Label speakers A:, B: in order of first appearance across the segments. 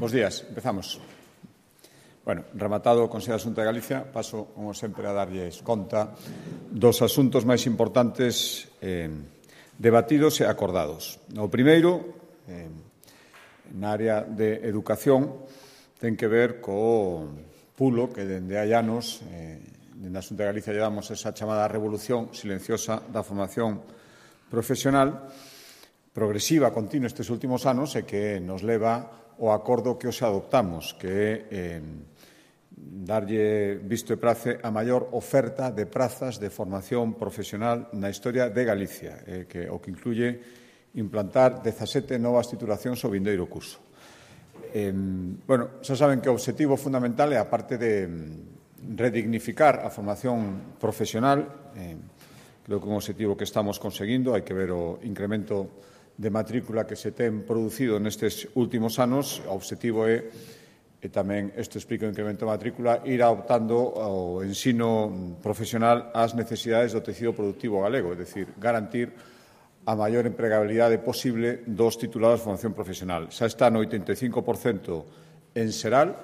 A: Bos días, empezamos. Bueno, rematado o Consello de Asunto de Galicia, paso, como sempre, a darlles conta dos asuntos máis importantes debatidos e acordados. O primeiro, na área de educación, ten que ver co pulo que dende hai anos, dende a Asunto de Galicia, llevamos esa chamada revolución silenciosa da formación profesional progresiva, continua estes últimos anos e que nos leva ao acordo que hoxe adoptamos, que é darlle visto e prace a maior oferta de prazas de formación profesional na historia de Galicia, o que incluye implantar 17 novas titulacións ao vindeiro curso. Xa saben que o obxectivo fundamental é, a parte de redignificar a formación profesional, creo que é un obxectivo que estamos conseguindo, hai que ver o incremento de matrícula que se ten producido nestes últimos anos. O obxectivo é, e tamén isto explica o incremento de matrícula, ir adoptando o ensino profesional ás necesidades do tecido productivo galego, é dicir, garantir a maior empregabilidade posible dos titulados de formación profesional. Xa está no 85% en Seral,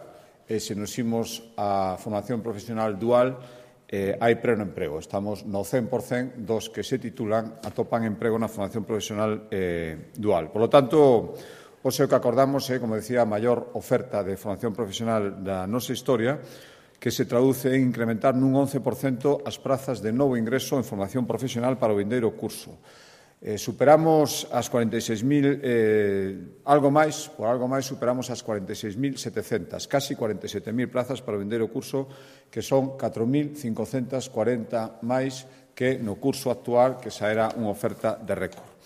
A: e se nos imos a formación profesional dual, hai pleno emprego. Estamos no 100% dos que se titulan atopan emprego na formación profesional dual. Por lo tanto, o que acordamos é, como decía, a maior oferta de formación profesional da nosa historia, que se traduce en incrementar nun 11% as prazas de novo ingreso en formación profesional para o vindeiro curso. Superamos as 46.000, algo máis superamos as 46.700, casi 47.000 prazas para o vindeiro curso, que son 4.540 máis que no curso actual, que xa era unha oferta de récord.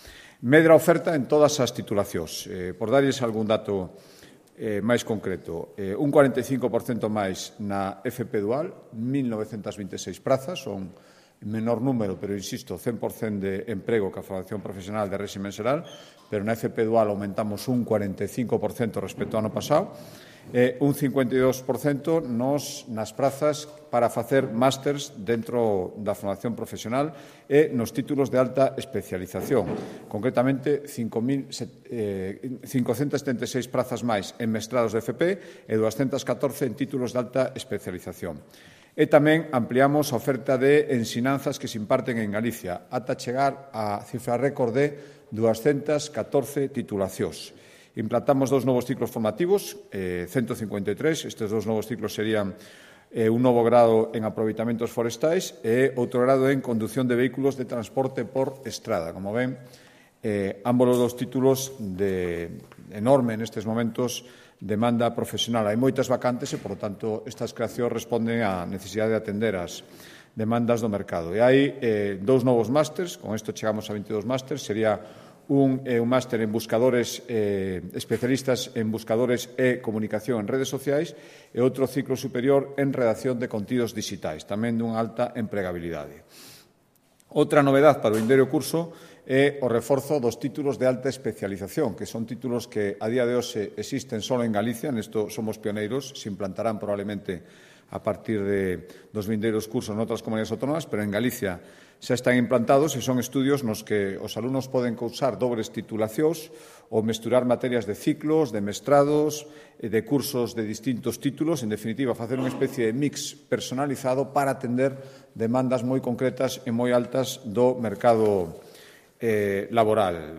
A: Medra oferta en todas as titulacións. Por darlles algún dato máis concreto, un 45% máis na FP Dual, 1.926 prazas, son menor número, pero, insisto, 100% de emprego que a formación profesional de réximen xeral, pero na FP Dual aumentamos un 45% respecto ao ano pasado, un 52% nas prazas para facer másters dentro da formación profesional e nos títulos de alta especialización. Concretamente, 576 prazas máis en mestrados de FP e 214 en títulos de alta especialización. E tamén ampliamos a oferta de ensinanzas que se imparten en Galicia, ata chegar a cifra récord de 214 titulacións. Implantamos 2 novos ciclos formativos, 153. Estes 2 novos ciclos serían un novo grado en aproveitamentos forestais e outro grado en condución de vehículos de transporte por estrada. Como ven, ambos os títulos de enorme nestes momentos demanda profesional. Hai moitas vacantes e, por tanto, estas creacións responden á necesidade de atender as demandas do mercado. E hai 2 novos másters, con isto chegamos a 22 másters, sería un máster en buscadores, especialistas en buscadores e comunicación en redes sociais, e outro ciclo superior en redacción de contidos digitais, tamén dunha alta empregabilidade. Outra novedade para o vindeiro curso é o reforzo dos títulos de alta especialización, que son títulos que a día de hoxe existen só en Galicia, nesto somos pioneiros, se implantarán probablemente a partir dos vindeiros cursos en outras comunidades autónomas, pero en Galicia xa están implantados e son estudios nos que os alumnos poden cursar dobres titulacións ou mesturar materias de ciclos, de mestrados, de cursos de distintos títulos, en definitiva, facer unha especie de mix personalizado para atender demandas moi concretas e moi altas do mercado laboral.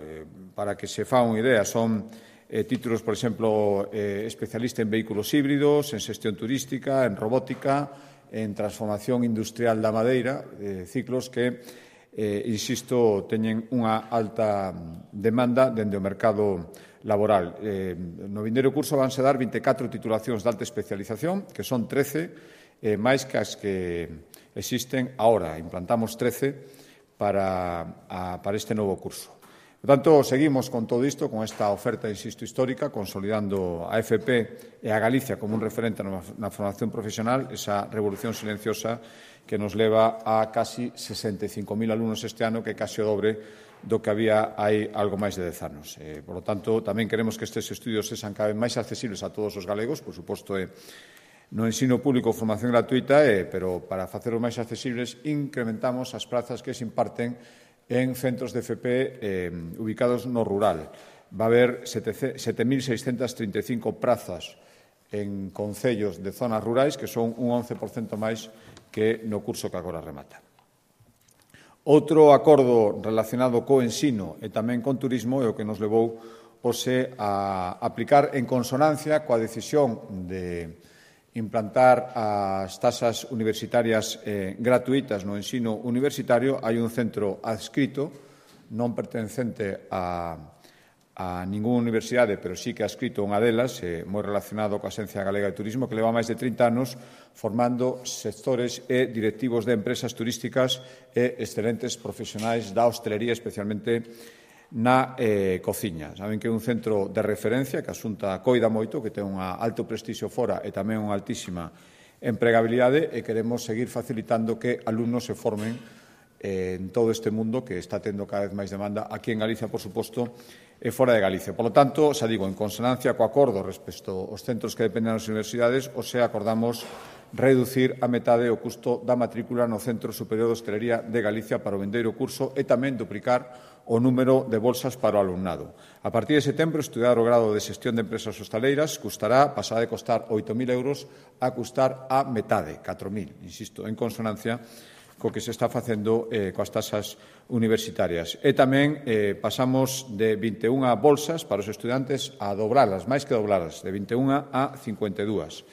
A: Para que se fa unha idea, son títulos, por exemplo, especialista en vehículos híbridos, en xestión turística, en robótica, en transformación industrial da madeira, ciclos que, insisto, teñen unha alta demanda dende o mercado laboral. No vindeiro curso vanse dar 24 titulacións de alta especialización, que son 13 máis que as que existen agora. Implantamos 13 para este novo curso. Por tanto, seguimos con todo isto, con esta oferta, insisto, histórica, consolidando a FP e a Galicia como un referente na formación profesional, esa revolución silenciosa que nos leva a casi 65.000 alumnos este ano, que é casi o dobre do que había hai algo máis de 10 anos. Por lo tanto, tamén queremos que estes estudios sexan cada vez máis accesibles a todos os galegos, por suposto, no ensino público formación gratuita, pero para faceros máis accesibles incrementamos as prazas que se imparten en centros de FP ubicados no rural. va a haber 7.635 prazas en concellos de zonas rurais, que son un 11% máis que no curso que agora remata. Outro acordo relacionado co ensino e tamén con turismo é o que nos levou hoxe a aplicar en consonancia coa decisión de implantar as taxas universitarias gratuitas no ensino universitario. Hai un centro adscrito, non pertencente a ningunha universidade, pero sí que ha escrito unha delas, moi relacionado coa Axencia Galega de Turismo, que leva máis de 30 anos formando sectores e directivos de empresas turísticas e excelentes profesionais da hostelería, especialmente na cociña. Saben que é un centro de referencia que a Xunta coida moito, que ten un alto prestixio fora e tamén unha altísima empregabilidade, e queremos seguir facilitando que alumnos se formen en todo este mundo que está tendo cada vez máis demanda aquí en Galicia, por suposto, e fora de Galicia. Por lo tanto, xa digo, en consonancia co acordo respecto aos centros que dependen das universidades, acordamos reducir a metade o custo da matrícula no Centro Superior de Hostelería de Galicia para o vindeiro curso e tamén duplicar o número de bolsas para o alumnado. A partir de setembro, estudar o grado de xestión de empresas hostaleiras pasará de costar 8.000 euros a custar a metade, 4.000, insisto, en consonancia co que se está facendo coas taxas universitarias. E tamén pasamos de 21 bolsas para os estudantes a dobralas, máis que dobralas, de 21 a 52,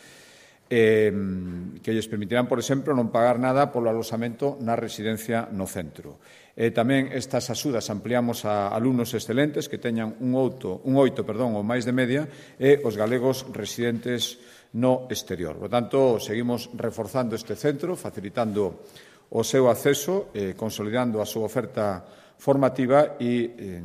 A: que lles permitirán, por exemplo, non pagar nada polo aloxamento na residencia no centro. Tamén estas axudas ampliamos a alumnos excelentes que teñan un 8 ou máis de media e os galegos residentes no exterior. Por tanto, seguimos reforzando este centro, facilitando o seu acceso, consolidando a súa oferta formativa e,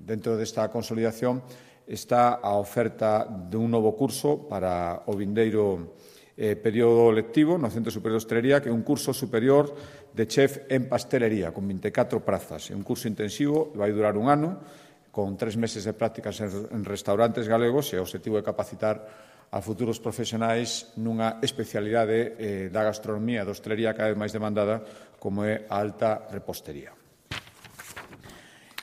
A: dentro desta consolidación, está a oferta dun novo curso para o vindeiro período lectivo no Centro Superior de Hostelería, que é un curso superior de chef en pastelería, con 24 prazas. É un curso intensivo, vai durar un ano, con 3 meses de prácticas en restaurantes galegos, e o objetivo é capacitar a futuros profesionais nunha especialidade da gastronomía e da hostelería cada vez máis demandada, como é a alta repostería.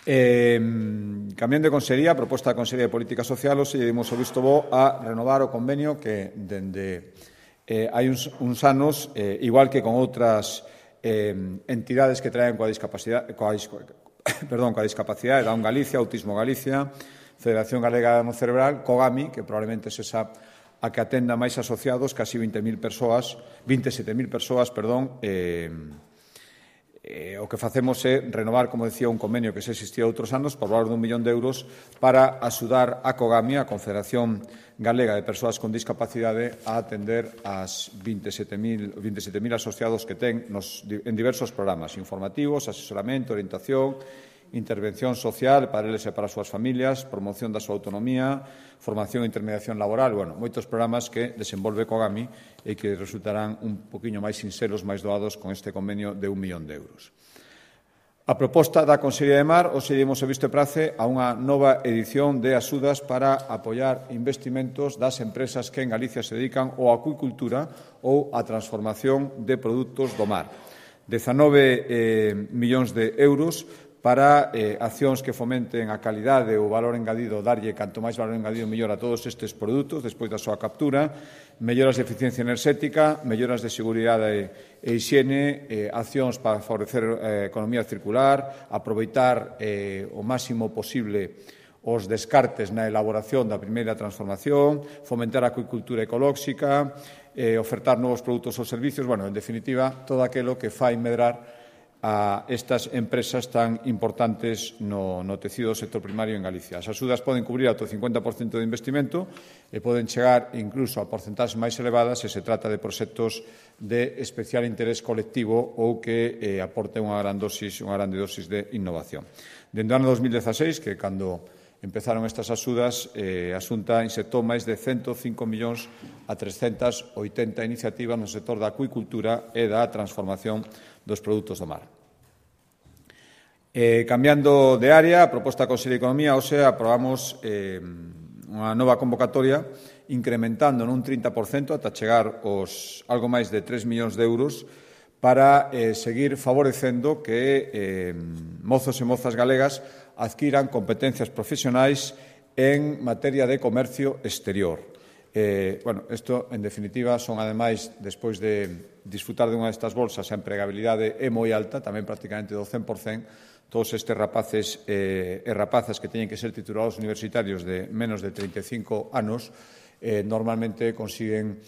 A: Cambiando de consellería, a proposta da Consellería de Política Social, hoxe lle dimos o visto bo a renovar o convenio que dende hai uns anos, igual que con outras entidades que traen coa discapacidade, da Un Galicia, Autismo Galicia, Federación Galega no Cerebral, COGAMI, que probablemente se xa a que atenda máis asociados, casi 27.000 persoas, o que facemos é renovar, como decía, un convenio que xa existía outros anos por valor de 1 millón de euros para axudar a COGAMI, a Confederación Galega de Persoas con Discapacidade, a atender as 27.000 asociados que ten en diversos programas informativos, asesoramento, orientación, intervención social para eles e para as súas familias, promoción da súa autonomía, formación e intermediación laboral, moitos programas que desenvolve COGAMI e que resultarán un poquinho máis sinceros, máis doados con este convenio de 1 millón de euros. A proposta da Consellería de Mar, hoxe demos o visto e prace a unha nova edición de axudas para apoiar investimentos das empresas que en Galicia se dedican á acuicultura ou á transformación de produtos do mar. 19 millóns de euros para accións que fomenten a calidade ou o valor engadido, darlle canto máis valor engadido mellor a todos estes produtos despois da súa captura, melloras de eficiencia enerxética, melloras de seguridade e hixiene, accións para favorecer a economía circular, aproveitar o máximo posible os descartes na elaboración da primeira transformación, fomentar a acuicultura ecolóxica, ofertar novos produtos ou servicios, en definitiva, todo aquilo que fai medrar a estas empresas tan importantes no tecido do sector primario en Galicia. As axudas poden cubrir ata o 50% de investimento e poden chegar incluso a porcentaxes máis elevadas se se trata de proxectos de especial interés colectivo ou que aporten unha grande dosis de innovación. Dende o ano 2016, que cando empezaron estas axudas, a Xunta insertou máis de 105 millóns a 380 iniciativas no sector da acuicultura e da transformación dos produtos do mar. Cambiando de área, a proposta da Consellería de Economía, hoxe aprobamos unha nova convocatoria incrementando nun 30% ata chegar aos algo máis de 3 millóns de euros para seguir favorecendo que mozos e mozas galegas adquiran competencias profesionais en materia de comercio exterior. Isto, en definitiva, son, ademais, despois de disfrutar de unha destas bolsas, a empregabilidade é moi alta, tamén prácticamente do 100%, todos estes rapaces e rapazas que teñen que ser titulados universitarios de menos de 35 anos normalmente consiguen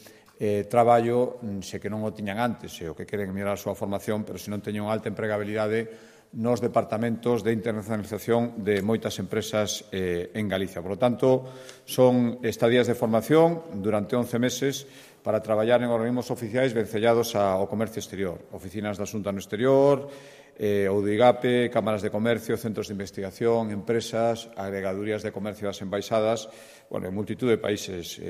A: traballo se que non o tiñan antes, o que queren mellorar a súa formación, pero se non teñen unha alta empregabilidade nos departamentos de internacionalización de moitas empresas en Galicia. Por lo tanto, son estadías de formación durante 11 meses para traballar en organismos oficiais vencellados ao comercio exterior. Oficinas da Xunta no exterior, ou do IGAPE, cámaras de comercio, centros de investigación, empresas, agregadurías de comercio das embaixadas, en multitud de países,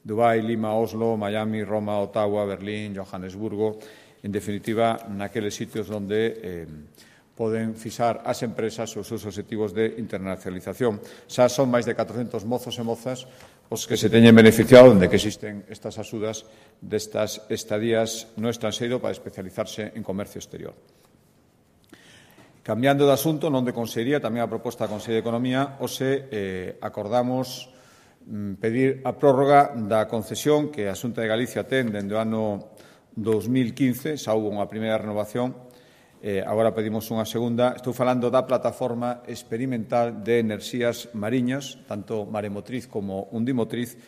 A: Dubái, Lima, Oslo, Miami, Roma, Ottawa, Berlín, Johannesburgo, en definitiva, naqueles sitios onde poden fixar as empresas os seus obxectivos de internacionalización. Xa son máis de 400 mozos e mozas os que se teñen beneficiado de que existen estas axudas destas estadías no estranxeiro para especializarse en comercio exterior. Cambiando de asunto, non de Consellería, tamén a proposta da Consellería de Economía, hoxe acordamos pedir a prórroga da concesión que a Xunta de Galicia ten dende o ano 2015, xa houve unha primeira renovación, agora pedimos unha segunda. Estou falando da plataforma experimental de enerxías mariñas, tanto maremotriz como undimotriz,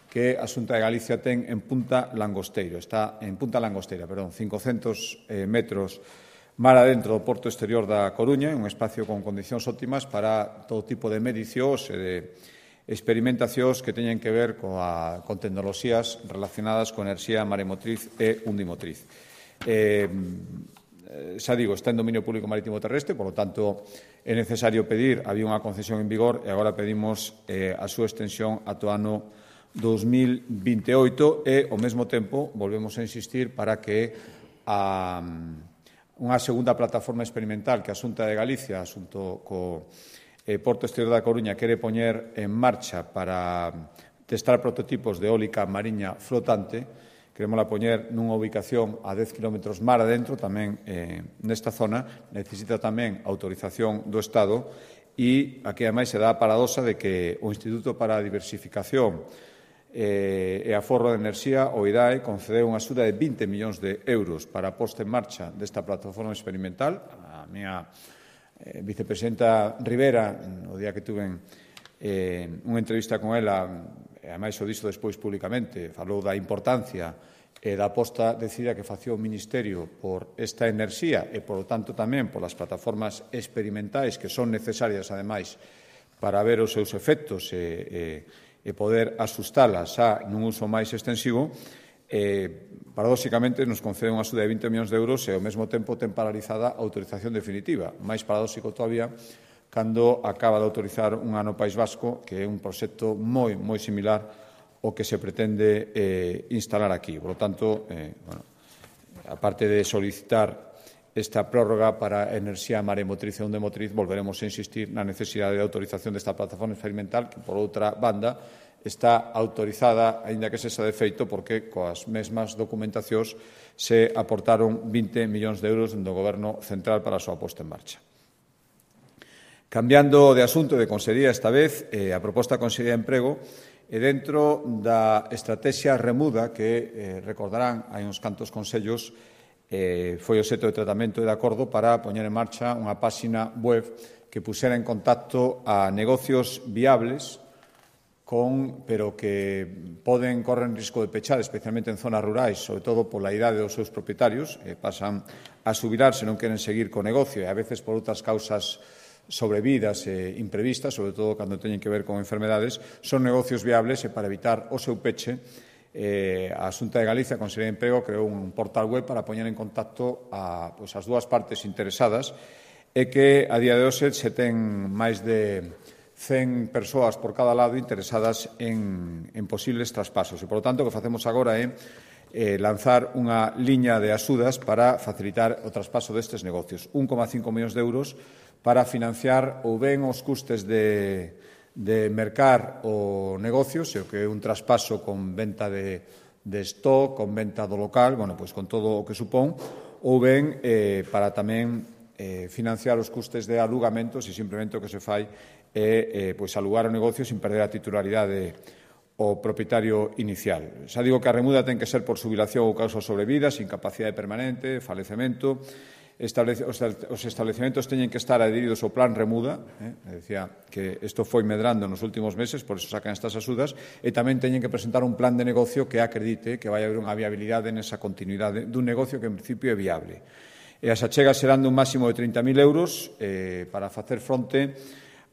A: que a Xunta de Galicia ten en Punta Langosteiro. Está en Punta Langosteira, 500 metros mar adentro do porto exterior da Coruña, un espacio con condicións óptimas para todo tipo de medicións e de experimentacións que teñen que ver con tecnoloxías relacionadas con enerxía maremotriz e undimotriz. Xa digo, está en dominio público marítimo terrestre, por lo tanto, é necesario pedir, había unha concesión en vigor e agora pedimos a súa extensión ata o ano 2028 e, ao mesmo tempo, volvemos a insistir para que unha segunda plataforma experimental que a Xunta de Galicia, xunto co Porto Exterior da Coruña, quere poñer en marcha para testar prototipos de eólica mariña flotante. Queremosla poñer nunha ubicación a 10 km mar adentro, tamén nesta zona. Necesita tamén autorización do Estado e aquí, ademais, se dá a paradoxa de que o Instituto para a Diversificación e Aforro de Enerxía, o IDAE, concedeu unha axuda de 20 millóns de euros para a posta en marcha desta plataforma experimental. A miña vicepresidenta Rivera, o día que tuve unha entrevista con ela, e ademais o dixo despois públicamente, falou da importancia e da aposta decidida que facía o Ministerio por esta enerxía e, por lo tanto, tamén polas plataformas experimentais que son necesarias, ademais, para ver os seus efectos e poder asustalas xa nun uso máis extensivo. Paradóxicamente, nos concede unha axuda de 20 millóns de euros e, ao mesmo tempo, ten paralizada a autorización definitiva. Máis paradóxico todavía cando acaba de autorizar un ano País Vasco, que é un proxecto moi similar ao que se pretende instalar aquí. Por lo tanto, aparte de solicitar esta prórroga para enerxía maremotriz e undimotriz, volveremos a insistir na necesidade de autorización desta plataforma experimental que, por outra banda, está autorizada, aínda que sexa de feito, porque coas mesmas documentacións se aportaron 20 millóns de euros do Goberno central para a súa posta en marcha. Cambiando de asunto de Consellería esta vez, a proposta da Consellería de Emprego é dentro da estrategia remuda que, recordarán, hai uns cantos consellos, foi o xeito de tratamento e de acordo para poñer en marcha unha páxina web que puxera en contacto a negocios viables pero que poden correr en risco de pechar, especialmente en zonas rurais, sobre todo pola idade dos seus propietarios, pasan a xubilar se non queren seguir co negocio e a veces por outras causas sobrevidas e imprevistas, sobre todo cando teñen que ver con enfermedades, son negocios viables e para evitar o seu peche, a Xunta de Galicia, a Consellería de Emprego, creou un portal web para poñer en contacto as dúas partes interesadas e que a día de hoxe se ten máis de 100 persoas por cada lado interesadas en posibles traspasos. E, por lo tanto, o que facemos agora é lanzar unha liña de axudas para facilitar o traspaso destes negocios. 1,5 millóns de euros para financiar ou ben os custes de mercar o negocio, se o que é un traspaso con venta de stock, con venta do local, con todo o que supón, ou ben para tamén financiar os custes de alugamentos e simplemente o que se fai é alugar o negocio sin perder a titularidade o propietario inicial. Xa digo que a remuda ten que ser por xubilación ou causas sobrevidas, incapacidade permanente, falecemento. Os establecementos teñen que estar adheridos ao plan remuda, decía que isto foi medrando nos últimos meses, por iso sacan estas axudas, e tamén teñen que presentar un plan de negocio que acredite que vai haber unha viabilidade nesa continuidade dun negocio que en principio é viable. E as achegas serán dun máximo de 30.000 euros para facer fronte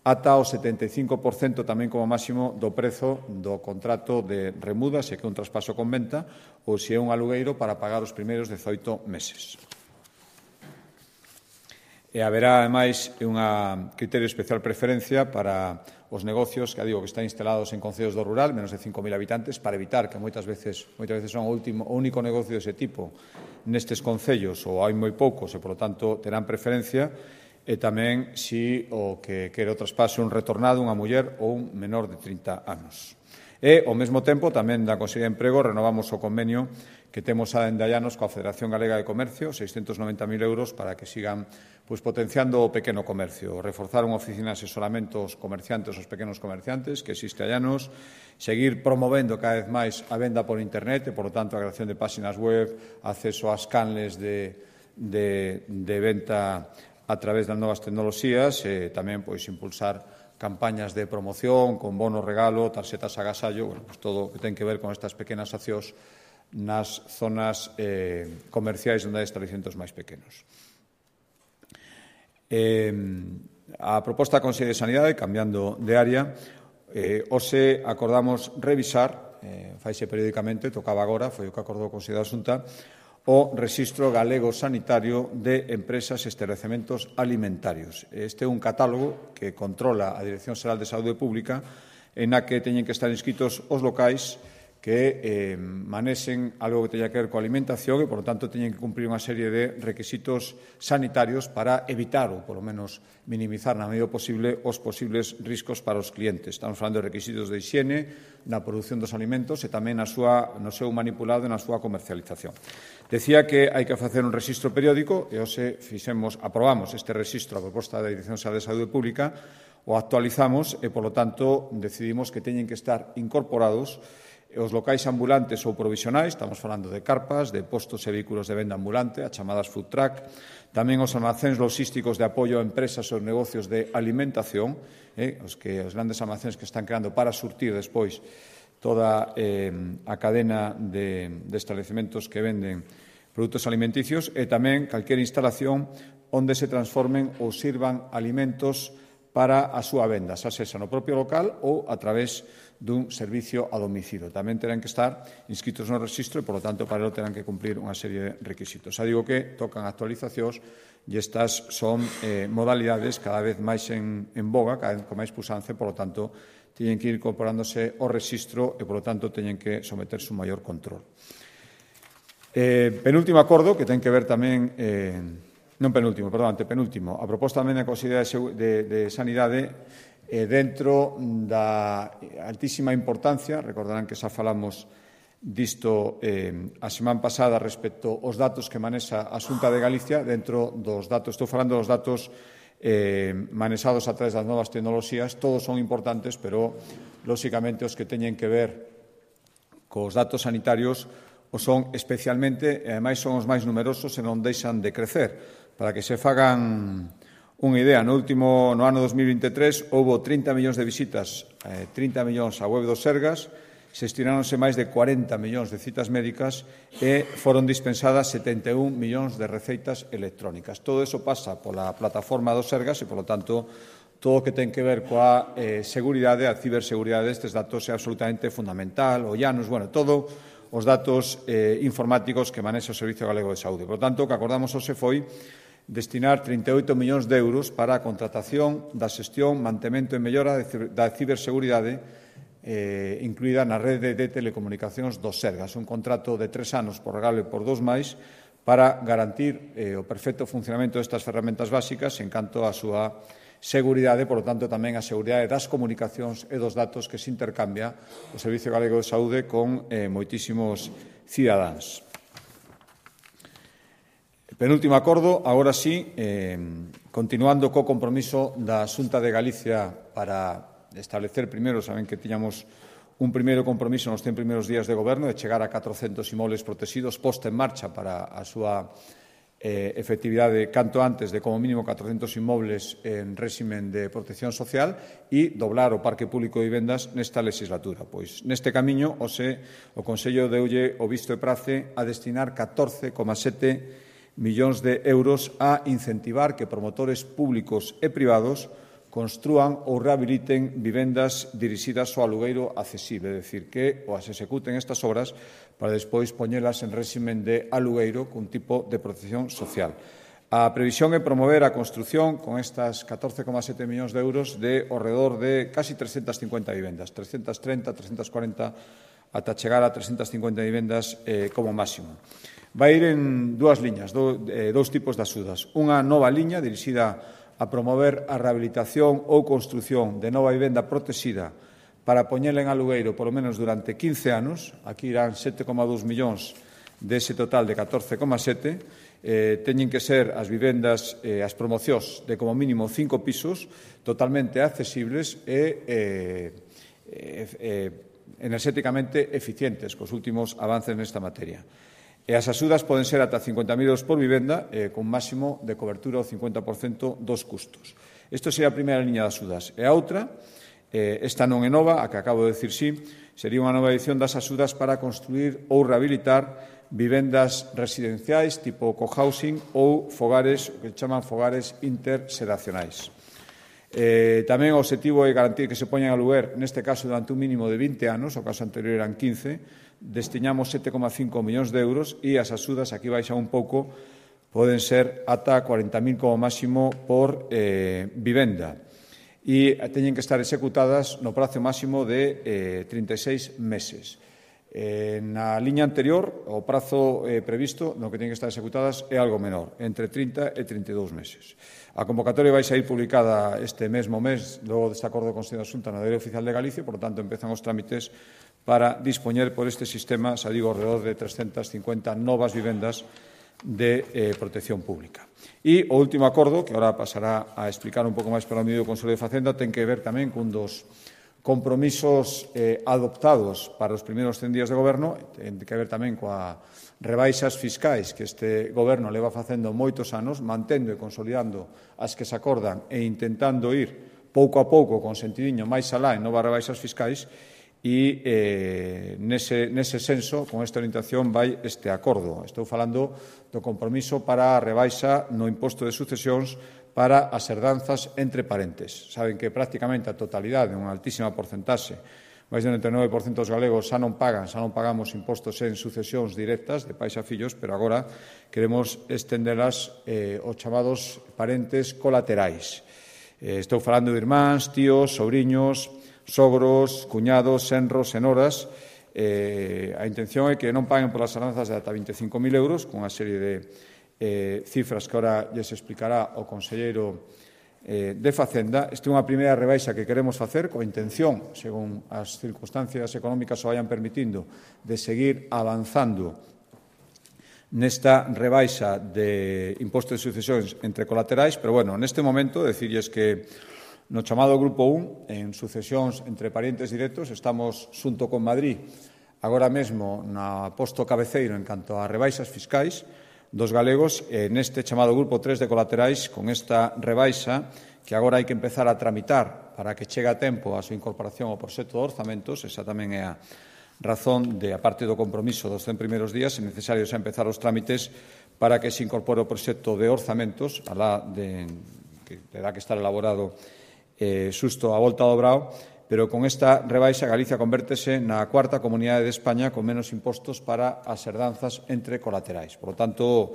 A: ata o 75% tamén como máximo do prezo do contrato de remuda, se é que é un traspaso con venta ou se é un alugueiro para pagar os primeiros 18 meses. E haberá, ademais, un criterio especial preferencia para os negocios que digo que están instalados en concellos do rural, menos de 5.000 habitantes, para evitar que moitas veces son o único negocio dese tipo nestes concellos ou hai moi poucos e, polo tanto, terán preferencia. E tamén se o que quere o traspaso un retornado, unha muller ou un menor de 30 anos. E, ao mesmo tempo, tamén da Consellería de Emprego, renovamos o convenio que temos a dende hai anos coa Federación Galega de Comercio, 690.000 euros para que sigan potenciando o pequeno comercio, reforzar unha oficina de asesoramento aos comerciantes, aos pequenos comerciantes, que existe hai anos, seguir promovendo cada vez máis a venda por internet e, por lo tanto, a creación de páxinas web, acceso ás canles de venta a través das novas tecnoloxías e tamén impulsar campañas de promoción con bono regalo, tarxetas agasallo, todo o que ten que ver con estas pequenas accións nas zonas comerciais onde hai estabelecementos máis pequenos. A proposta da Consellería de Sanidade, cambiando de área, hoxe acordamos revisar, faise periódicamente, tocaba agora, foi o que acordou o Consello da Xunta, o Rexistro Galego Sanitario de Empresas e Establecementos Alimentarios. Este é un catálogo que controla a Dirección Xeral de Saúde Pública en a que teñen que estar inscritos os locais que manexen algo que teña que ver coa alimentación e, por lo tanto, teñen que cumprir unha serie de requisitos sanitarios para evitar ou, polo menos, minimizar na medida posible os posibles riscos para os clientes. Estamos falando de requisitos de higiene, na produción dos alimentos e tamén no seu manipulado e na súa comercialización. Decía que hai que facer un rexistro periódico e hoxe aprobamos este rexistro a proposta da Dirección Xeral de Saúde Pública, o actualizamos e, polo tanto, decidimos que teñen que estar incorporados os locais ambulantes ou provisionais, estamos falando de carpas, de postos e vehículos de venda ambulante, as chamadas food truck, tamén os almacéns logísticos de apoio a empresas ou negocios de alimentación, os grandes almacéns que están creando para surtir despois toda a cadena de establecementos que venden produtos alimenticios e tamén calquera instalación onde se transformen ou sirvan alimentos para a súa venda, xa sexa no propio local ou a través dun servicio a domicilio. Tamén terán que estar inscritos no rexistro e, por lo tanto, para ello terán que cumplir unha serie de requisitos. Xa digo que tocan actualizacións e estas son modalidades cada vez máis en boga, cada vez con máis puxanza, por lo tanto, teñen que ir incorporándose ao rexistro e, por lo tanto, teñen que someterse un maior control. Penúltimo acordo, que ten que ver tamén, non penúltimo, perdón, antepenúltimo, a proposta tamén da Consellería de Sanidade dentro da altísima importancia, recordarán que xa falamos disto a semana pasada respecto aos datos que manexa a Xunta de Galicia, dentro dos datos, estou falando dos datos manexados a través das novas tecnoloxías, todos son importantes, pero, lóxicamente, os que teñen que ver cos datos sanitarios o son especialmente, e ademais son os máis numerosos e non deixan de crecer. Para que se fagan unha idea, no ano 2023 houve 30 millóns de visitas, 30 millóns á web do Sergas, se estiráronse máis de 40 millóns de citas médicas e foron dispensadas 71 millóns de receitas electrónicas. Todo eso pasa pola plataforma do Sergas e, polo tanto, todo o que ten que ver coa seguridade, a ciberseguridade destes datos é absolutamente fundamental, o llanos, todo os datos informáticos que manexa o Servicio Galego de Saúde. Por tanto, o que acordamos hoxe foi destinar 38 millóns de euros para a contratación da xestión, mantemento e mellora da ciberseguridade incluída na rede de telecomunicacións dos Sergas. Un contrato de 3 anos por regalo por 2 máis para garantir o perfecto funcionamento destas ferramentas básicas en canto á súa seguridade, por lo tanto, tamén a seguridade das comunicacións e dos datos que se intercambia o Servicio Galego de Saúde con moitísimos cidadáns. Penúltimo acordo, agora sí, continuando co compromiso da Xunta de Galicia para establecer primeiro, saben que tiñamos un primeiro compromiso nos 100 primeiros días de goberno de chegar a 400 inmobles protegidos posta en marcha para a súa efectividade canto antes de como mínimo 400 inmobles en réximen de protección social e doblar o parque público de vivendas nesta legislatura. Pois neste camiño o Consello deulle o visto e prace a destinar 14,7 millóns de euros a incentivar que promotores públicos e privados construan ou rehabiliten vivendas dirixidas ao alugueiro accesible, é dicir, que as executen estas obras para despois poñelas en réximen de alugueiro cun tipo de protección social. A previsión é promover a construción con estas 14,7 millóns de euros de ao redor de casi 350 vivendas, 330, 340, ata chegar a 350 vivendas como máximo. Vai ir en dúas liñas, dous tipos de axudas. Unha nova liña dirixida a promover a rehabilitación ou construción de nova vivenda protexida para poñela en alugueiro polo menos durante 15 anos. Aquí irán 7,2 millóns dese total de 14,7. Teñen que ser as vivendas, as promocións de como mínimo 5 pisos totalmente accesibles e enerxéticamente eficientes cos últimos avances nesta materia. E as axudas poden ser ata 50.000 euros por vivenda con máximo de cobertura ao 50% dos custos. Isto sería a primeira liña de axudas. E a outra, esta non é nova, a que acabo de decir sí, sería unha nova edición das axudas para construir ou rehabilitar vivendas residenciais tipo cohousing ou fogares, que chaman fogares interxeracionais. Tamén o obxectivo é garantir que se poñan a aluguer, neste caso durante un mínimo de 20 anos, o caso anterior eran 15, destinamos 7,5 millóns de euros e as axudas, aquí baixa un pouco, poden ser ata 40.000 como máximo por vivenda e teñen que estar executadas no prazo máximo de 36 meses. Na liña anterior, o prazo previsto no que teñen que estar executadas é algo menor, entre 30 e 32 meses. A convocatoria vai sair publicada este mesmo mes, logo deste acordo do Consello da Xunta no Diario Oficial de Galicia, por tanto, empezan os trámites para dispoñer por este sistema, xa digo, alrededor de 350 novas vivendas de protección pública. E o último acordo, que agora pasará a explicar un pouco máis pelo amigo do Consello de Facenda, ten que ver tamén cun dos compromisos adoptados para os primeiros 100 días de goberno, ten que ver tamén coa rebaixas fiscais que este goberno leva facendo moitos anos, mantendo e consolidando as que se acordan e intentando ir pouco a pouco con sentidiño máis alá en novas rebaixas fiscais e nese senso, con esta orientación, vai este acordo. Estou falando do compromiso para a rebaixa no imposto de sucesións para as herdanzas entre parentes. Saben que prácticamente a totalidade, unha altísima porcentaxe, máis do 99% dos galegos xa non pagamos impostos en sucesións directas de pais a fillos, pero agora queremos estendelas aos chamados parentes colaterais. Estou falando de irmáns, tíos, sobriños, sogros, cuñados, senros, senoras. A intención é que non paguen polas herdanzas de ata 25.000 euros, con unha serie de cifras que ahora lles explicará o conselleiro de Facenda. Esta é unha primeira rebaixa que queremos facer coa intención, según as circunstancias económicas o vayan permitindo, de seguir avanzando nesta rebaixa de imposto de sucesións entre colaterais, pero, bueno, neste momento, decirles que no chamado Grupo 1, en sucesións entre parientes directos, estamos, xunto con Madrid, agora mesmo na posto cabeceiro en canto a rebaixas fiscais dos galegos, neste chamado Grupo 3 de colaterais, con esta rebaixa que agora hai que empezar a tramitar para que chegue a tempo a súa incorporación ao proxecto de orzamentos. Esa tamén é a razón de, a parte do compromiso dos 100 primeiros días, é necesario xa empezar os trámites para que se incorpore o proxecto de orzamentos, que terá que estar elaborado xusto a volta do Brao, pero con esta rebaixa Galicia convértese na cuarta comunidade de España con menos impostos para as herdanzas entre colaterais. Por lo tanto,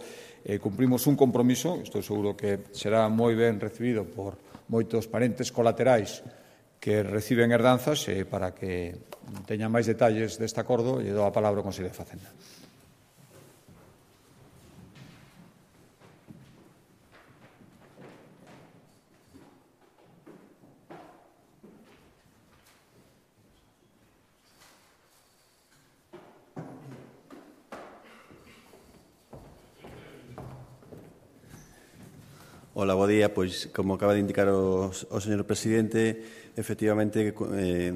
A: cumprimos un compromiso, estou seguro que será moi ben recibido por moitos parentes colaterais que reciben herdanzas, para que teñan máis detalles deste acordo, lle dou a palabra ao Consello de Facenda.
B: Hola, bo día. Pois, como acaba de indicar o señor presidente, efectivamente,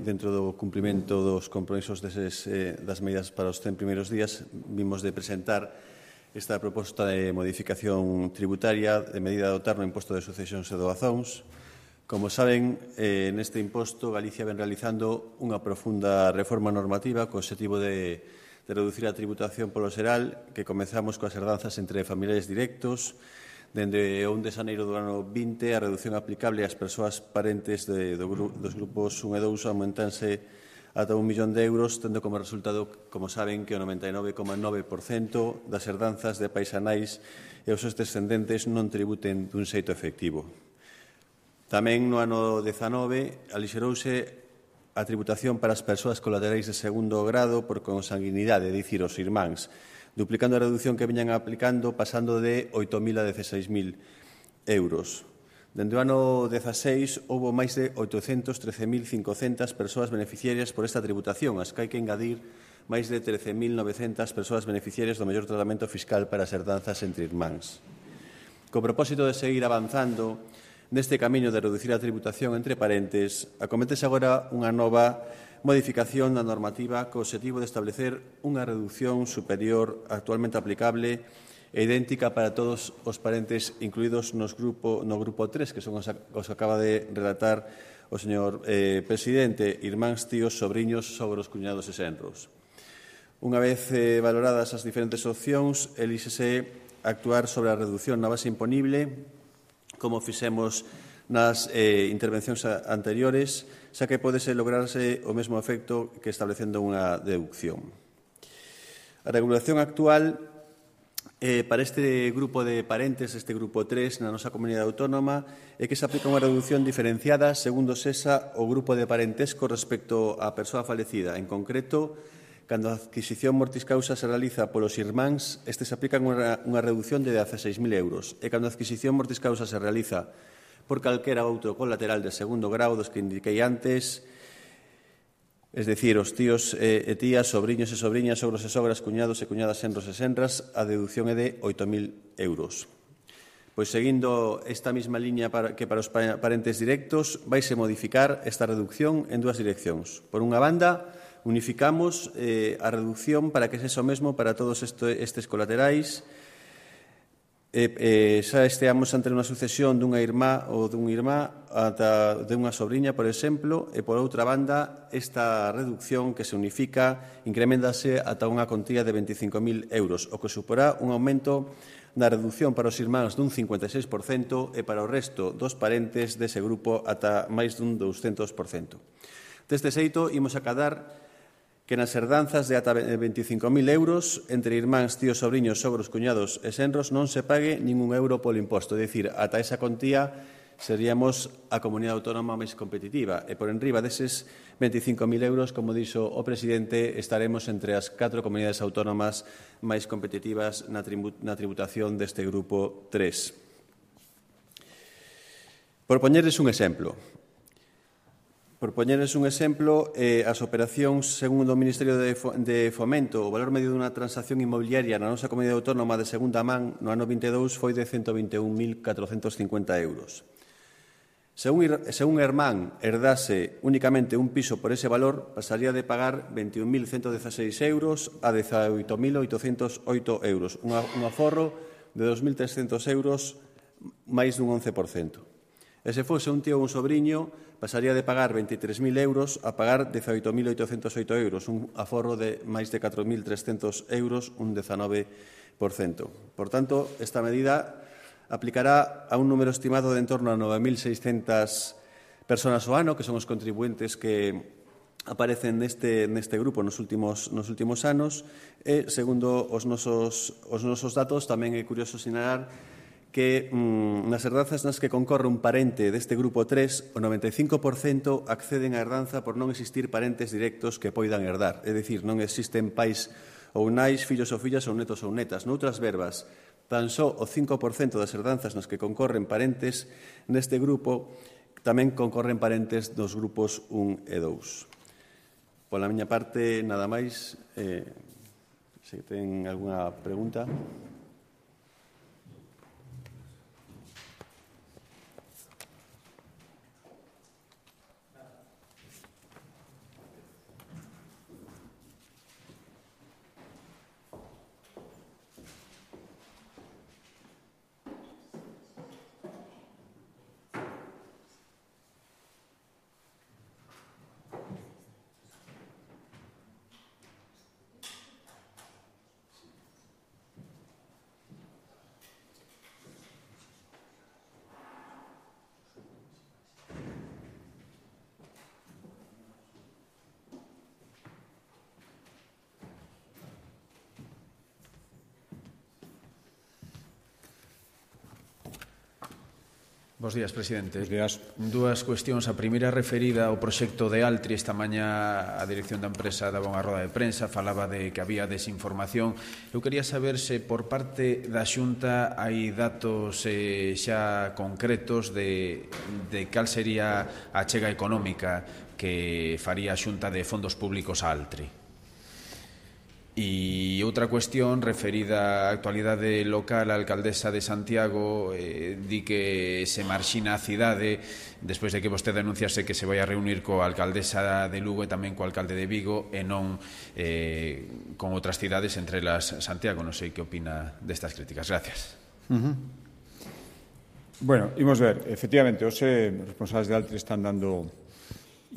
B: dentro do cumprimento dos compromisos das medidas para os 100 primeiros días, vimos de presentar esta proposta de modificación tributaria de medida de dotar no imposto de sucesións e doazóns. Como saben, neste imposto Galicia ven realizando unha profunda reforma normativa co objetivo de reducir a tributación polo xeral, que comezamos coas herdanzas entre familiares directos. Dende o 1 de xaneiro do ano 20, a reducción aplicable ás persoas parentes dos grupos 1 e 2 aumentanse ata 1 millón de euros, tendo como resultado, como saben, que o 99,9% das herdanzas de pais e nais e os seus descendentes non tributen dun xeito efectivo. Tamén no ano 19 alixerouse a tributación para as persoas colaterais de segundo grado por consanguinidade, é dicir, os irmáns, duplicando a reducción que viñan aplicando, pasando de 8.000 a 16.000 euros. Dende o ano 16 houve máis de 813.500 persoas beneficiarias por esta tributación, as que hai que engadir máis de 13.900 persoas beneficiarias do mellor tratamento fiscal para as herdanzas entre irmáns. Co propósito de seguir avanzando neste camiño de reducir a tributación entre parentes, acométese agora unha nova modificación da normativa co objetivo de establecer unha reducción superior actualmente aplicable e idéntica para todos os parentes incluídos no grupo 3, que son os que acaba de relatar o señor presidente, irmáns, tíos, sobriños, sogros, cuñados e senros. Unha vez valoradas as diferentes opcións, elíxese actuar sobre a reducción na base imponible, como fixemos nas intervencións anteriores, xa que podese lograrse o mesmo efecto que establecendo unha deducción. A regulación actual para este grupo de parentes, este grupo 3, na nosa comunidade autónoma, é que se aplica unha reducción diferenciada segundo sexa o grupo de parentesco respecto á persoa falecida. En concreto, cando a adquisición mortis causa se realiza polos irmáns, se aplican unha reducción de 16.000 euros. E cando a adquisición mortis causa se realiza por calquera outro colateral de segundo grau dos que indiquei antes, es dicir, os tíos e tías, sobriños e sobriñas, sogros e sogras, cuñados e cuñadas, senros e senras, a deducción é de 8.000 euros. Pois, seguindo esta mesma liña que para os parentes directos, vaise modificar esta reducción en dúas direccións. Por unha banda, unificamos a reducción para que sexa o mesmo para todos estes colaterais. Xa esteamos ante unha sucesión dunha irmá ou dun irmá ata dunha sobriña, por exemplo, e, por outra banda, esta reducción que se unifica increméntase ata unha contía de 25.000 euros, o que suporá un aumento na reducción para os irmáns dun 56% e para o resto dos parentes dese grupo ata máis dun 200%. Deste xeito, imos acadar que nas herdanzas de ata 25.000 euros entre irmáns, tíos, sobriños, sogros, cuñados e senros non se pague ningún euro polo imposto. É dicir, ata esa contía seríamos a comunidade autónoma máis competitiva e por enriba deses 25.000 euros, como dixo o presidente, estaremos entre as 4 comunidades autónomas máis competitivas na tributación deste grupo 3. Por poñerles un exemplo, as operacións, segundo o Ministerio de Fomento, o valor medio dunha transacción inmobiliaria na nosa comunidade autónoma de segunda man no ano 22 foi de 121.450 euros. Se un irmán herdase únicamente un piso por ese valor, pasaría de pagar 21.116 euros a 18.808 euros, un aforro de 2.300 euros, máis dun 11%. E se fose un tío ou un sobriño, pasaría de pagar 23.000 euros a pagar 18.808 euros, un aforro de máis de 4.300 euros, un 19%. Por tanto, esta medida aplicará a un número estimado de en torno a 9.600 persoas ao ano, que son os contribuentes que aparecen neste grupo nos últimos anos, e, segundo os nosos datos, tamén é curioso sinalar que nas herdanzas nas que concorre un parente deste grupo 3, o 95% acceden á herdanza por non existir parentes directos que poidan herdar. É dicir, non existen pais ou nais, fillos ou fillas ou netos ou netas. Noutras verbas, tan só o 5% das herdanzas nas que concorren parentes neste grupo tamén concorren parentes dos grupos 1 e 2. Pola miña parte, nada máis. Se ten algunha pregunta.
C: Bos días, presidente.
A: Bos días.
C: Dúas cuestións. A primeira referida ao proxecto de Altri. Esta mañá a dirección da empresa daba unha roda de prensa, falaba de que había desinformación. Eu quería saber se por parte da Xunta hai datos xa concretos de cal sería a achega económica que faría a Xunta de fondos públicos a Altri. E outra cuestión referida á actualidade local, a alcaldesa de Santiago di que se marxina a cidade despois de que vostede anunciase que se vai a reunir coa alcaldesa de Lugo e tamén coa alcalde de Vigo e non con outras cidades, entre elas Santiago. Non sei que opina destas críticas. Gracias.
A: Bueno, imos ver. Efectivamente, os responsables de Altri están dando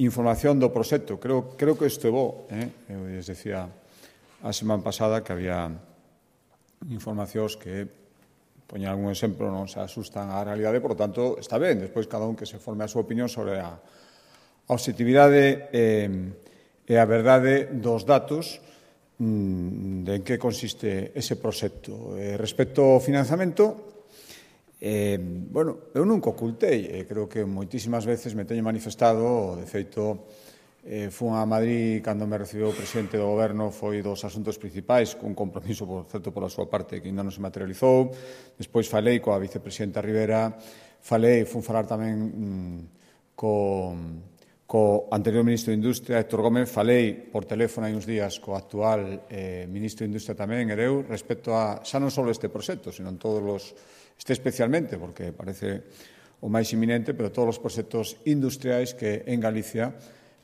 A: información do proxecto. Creo que isto é bo. Eu les decía a semana pasada que había informacións que, poñen algún exemplo, non se asustan á realidade, por lo tanto, está ben. Despois, cada un que se forme a súa opinión sobre a objetividade e a verdade dos datos de en que consiste ese proxecto. Respecto ao financiamento, bueno, eu nunca ocultei, creo que moitísimas veces me teño manifestado, de feito, fun a Madrid cando me recibiu o presidente do goberno, foi dos asuntos principais, cun compromiso, por certo, pola súa parte, que ainda non se materializou. Despois falei coa vicepresidenta Rivera, fun falar tamén co anterior ministro de Industria, Héctor Gómez, falei por teléfono hai uns días co actual ministro de Industria tamén, Ereu, respecto a xa non só este proxecto, sino en todos os, especialmente, porque parece o máis inminente, pero todos os proxectos industriais que en Galicia,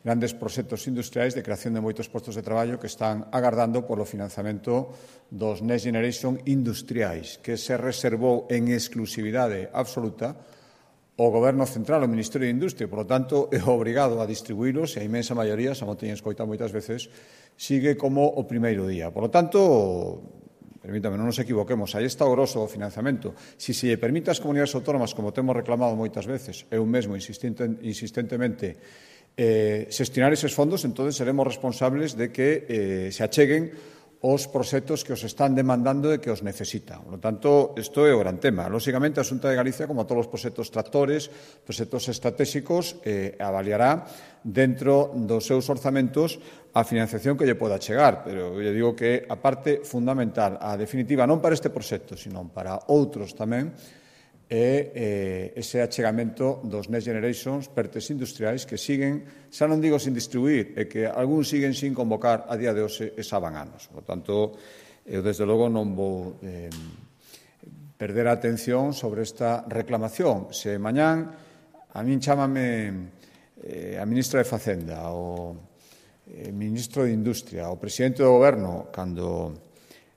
A: grandes proxectos industriais de creación de moitos postos de traballo que están agardando polo financiamento dos Next Generation industriais, que se reservou en exclusividade absoluta o Goberno Central, o Ministerio de Industria. Por lo tanto, é obrigado a distribuílos e a inmensa maioría, xa mo teñen escoitado moitas veces, sigue como o primeiro día. Por lo tanto, permítame, non nos equivoquemos, aí está o grosso do financiamento. Se lle permite ás comunidades autónomas, como temos reclamado moitas veces, eu mesmo insistentemente, xestionar eses fondos, entón seremos responsables de que se acheguen os proxectos que os están demandando e que os necesitan. Por lo tanto, isto é o gran tema. Lóxicamente, a Xunta de Galicia, como a todos os proxectos tractores, proxectos estratégicos, avaliará dentro dos seus orzamentos a financiación que lle poda chegar. Pero eu digo que a parte fundamental, a definitiva, non para este proxecto, sino para outros tamén, é ese achegamento dos Next Generations, pertes industriais que siguen, xa non digo sin distribuir, é que algúns siguen sin convocar a día de hoxe e xa van anos. Por tanto, eu desde logo non vou perder a atención sobre esta reclamación. Se mañán a min chámame a ministra de Facenda, o ministro de Industria, o presidente do Goberno,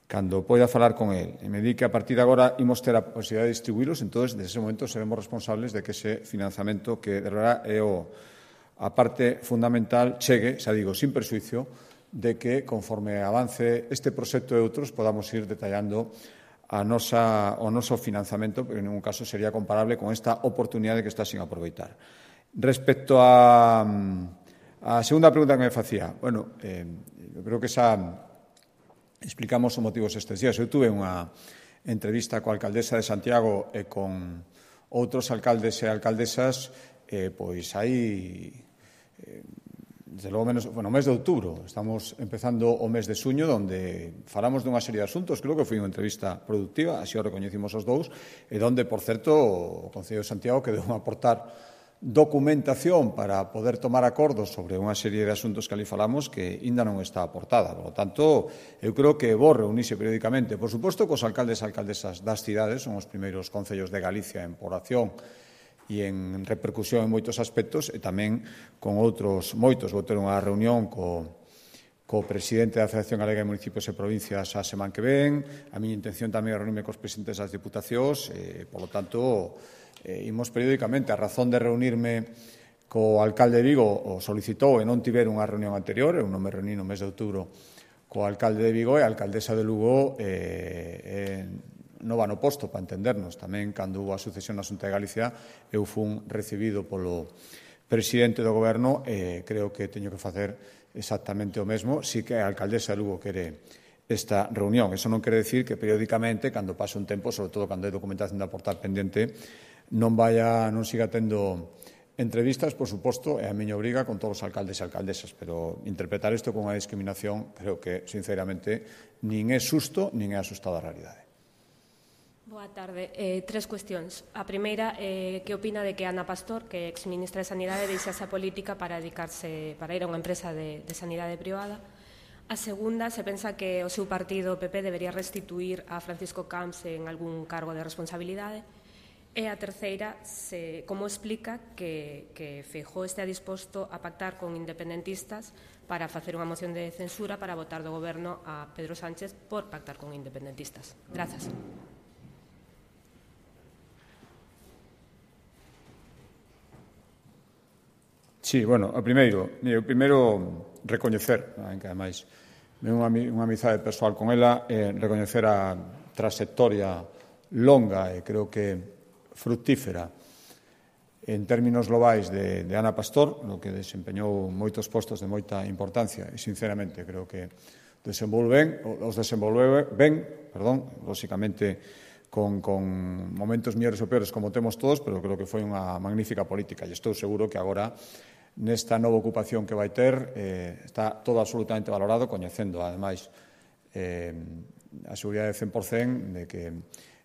A: cando poida falar con el e me di que a partir de agora imos ter a posibilidad de distribuílos, entón, desde ese momento seremos responsables de que ese financiamento que de verdad é a parte fundamental chegue, xa digo, sin perxuicio, de que conforme avance este proxecto e outros podamos ir detallando o noso financiamento, pero en ningún caso sería comparable con esta oportunidade que está sin aproveitar. Respecto a segunda pregunta que me facía, bueno, eu creo que xa explicamos os motivos estes días. Eu tuve unha entrevista coa alcaldesa de Santiago e con outros alcaldes e alcaldesas, pois aí, desde logo menos, no mes de outubro. Estamos empezando o mes de suño, onde falamos dunha serie de asuntos. Creo que foi unha entrevista productiva, así o recoñecimos os dous, e onde, por certo, o Concello de Santiago quedou a aportar documentación para poder tomar acordos sobre unha serie de asuntos que ali falamos que ainda non está aportada. Por lo tanto, eu creo que é bo reunirse periódicamente, por suposto, cos alcaldes e alcaldesas das cidades, son os primeiros concellos de Galicia en población e en repercusión en moitos aspectos, e tamén con outros moitos. Vou ter unha reunión co presidente da Federación Galega de Municipios e Provincias a semana que ven. A miña intención tamén é reunirme cos presidentes das diputacións, por lo tanto, imos periódicamente. A razón de reunirme co alcalde de Vigo o solicitou e non tiver unha reunión anterior. Eu non me reuní no mes de outubro co alcalde de Vigo e a alcaldesa de Lugo non va no posto, para entendernos. Tamén, cando hubo a sucesión na Xunta de Galicia, eu fun recibido polo presidente do goberno e creo que teño que facer exactamente o mesmo, si que a alcaldesa de Lugo quere esta reunión. Eso non quere decir que periódicamente, cando pase un tempo, sobre todo cando hai documentación de aportar pendente, non siga tendo entrevistas, por suposto, é a miña obriga con todos os alcaldes e alcaldesas, pero interpretar isto como unha discriminación creo que, sinceramente, nin é susto, nin é asustado a realidade.
D: Boa tarde. Tres cuestións. A primeira, que opina de que Ana Pastor, que é exministra de Sanidade, deixase a política para dedicarse, para ir a unha empresa de sanidade privada? A segunda, se pensa que o seu partido, o PP, debería restituir a Francisco Camps en algún cargo de responsabilidade? E a terceira, como explica que Feijóo estea disposto a pactar con independentistas para facer unha moción de censura para votar do goberno a Pedro Sánchez por pactar con independentistas? Grazas.
A: Sí, bueno, o primeiro recoñecer, que ademais é unha amizade persoal con ela, recoñecer a trayectoria longa e creo que fructífera en términos globais de Ana Pastor, no que desempeñou moitos postos de moita importancia e, sinceramente, creo que os desenvolveu ben, lóxicamente con momentos mellores ou peores como temos todos, pero creo que foi unha magnífica política e estou seguro que agora nesta nova ocupación que vai ter está todo absolutamente valorado, coñecendo, ademais, a seguridade de 100% de que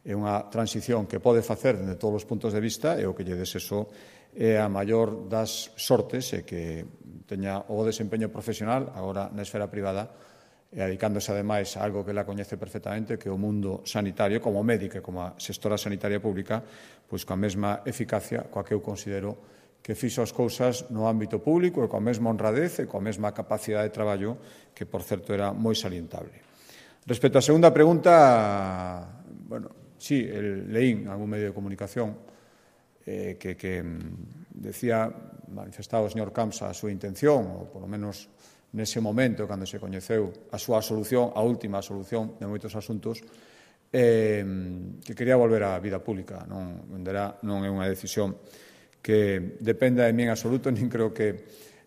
A: é unha transición que pode facer de todos os puntos de vista e o que lle deseso é a maior das sortes e que teña o desempeño profesional agora na esfera privada e dedicándose ademais a algo que ela coñece perfectamente, que é o mundo sanitario, como médica e como a xestora sanitaria pública, pois coa mesma eficacia coa que eu considero que fixo as cousas no ámbito público e coa mesma honradez e coa mesma capacidade de traballo que, por certo, era moi salientable. Respecto á segunda pregunta, bueno, sí, leín algún medio de comunicación que manifestaba o señor Camps a súa intención, ou polo menos nese momento, cando se coñeceu a súa solución, a última solución de moitos asuntos, que quería volver á vida pública. Non é unha decisión que dependa de mí en absoluto, nin creo que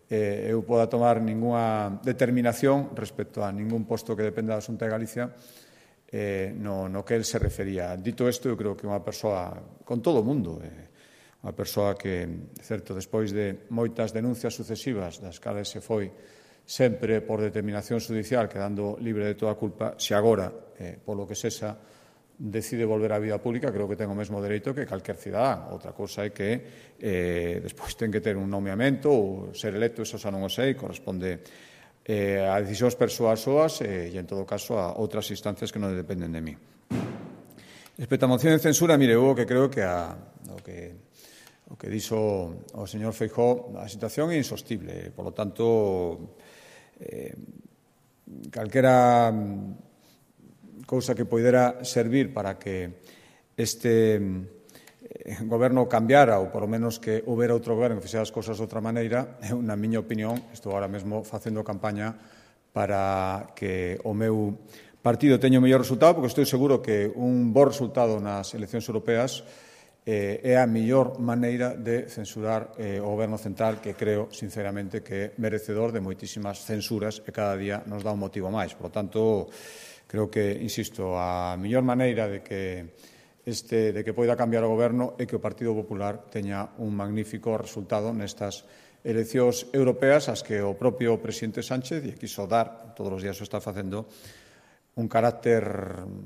A: eu poda tomar ninguna determinación respecto a ningún posto que dependa da Xunta de Galicia no que el se refería. Dito isto, eu creo que unha persoa con todo o mundo, unha persoa que, certo, despois de moitas denuncias sucesivas das cales se foi sempre por determinación judicial quedando libre de toda culpa, se agora, polo que sexa, decide volver á vida pública, creo que ten o mesmo dereito que calquer cidadán. Outra cousa é que despois ten que ter un nomeamento ou ser electo, eso xa non o sei, corresponde a decisións persoas súas e, en todo caso, a outras instancias que non dependen de mí. Respecto á moción de censura, mire, eu que creo que o que dixo o señor Feijóo, a situación é insostible. Por lo tanto, calquera cousa que poidera servir para que este goberno cambiara ou, por lo menos, que houbera outro goberno que fixera as cousas de outra maneira, na miña opinión, estou agora mesmo facendo campaña para que o meu partido teña o mellor resultado, porque estou seguro que un bo resultado nas eleccións europeas é a mellor maneira de censurar o goberno central, que creo, sinceramente, que é merecedor de moitísimas censuras e cada día nos dá un motivo máis. Por lo tanto, creo que, insisto, a mellor maneira de que poida cambiar o goberno é que o Partido Popular teña un magnífico resultado nestas eleccións europeas, as que o propio presidente Sánchez lle quiso dar, todos os días o está facendo, un carácter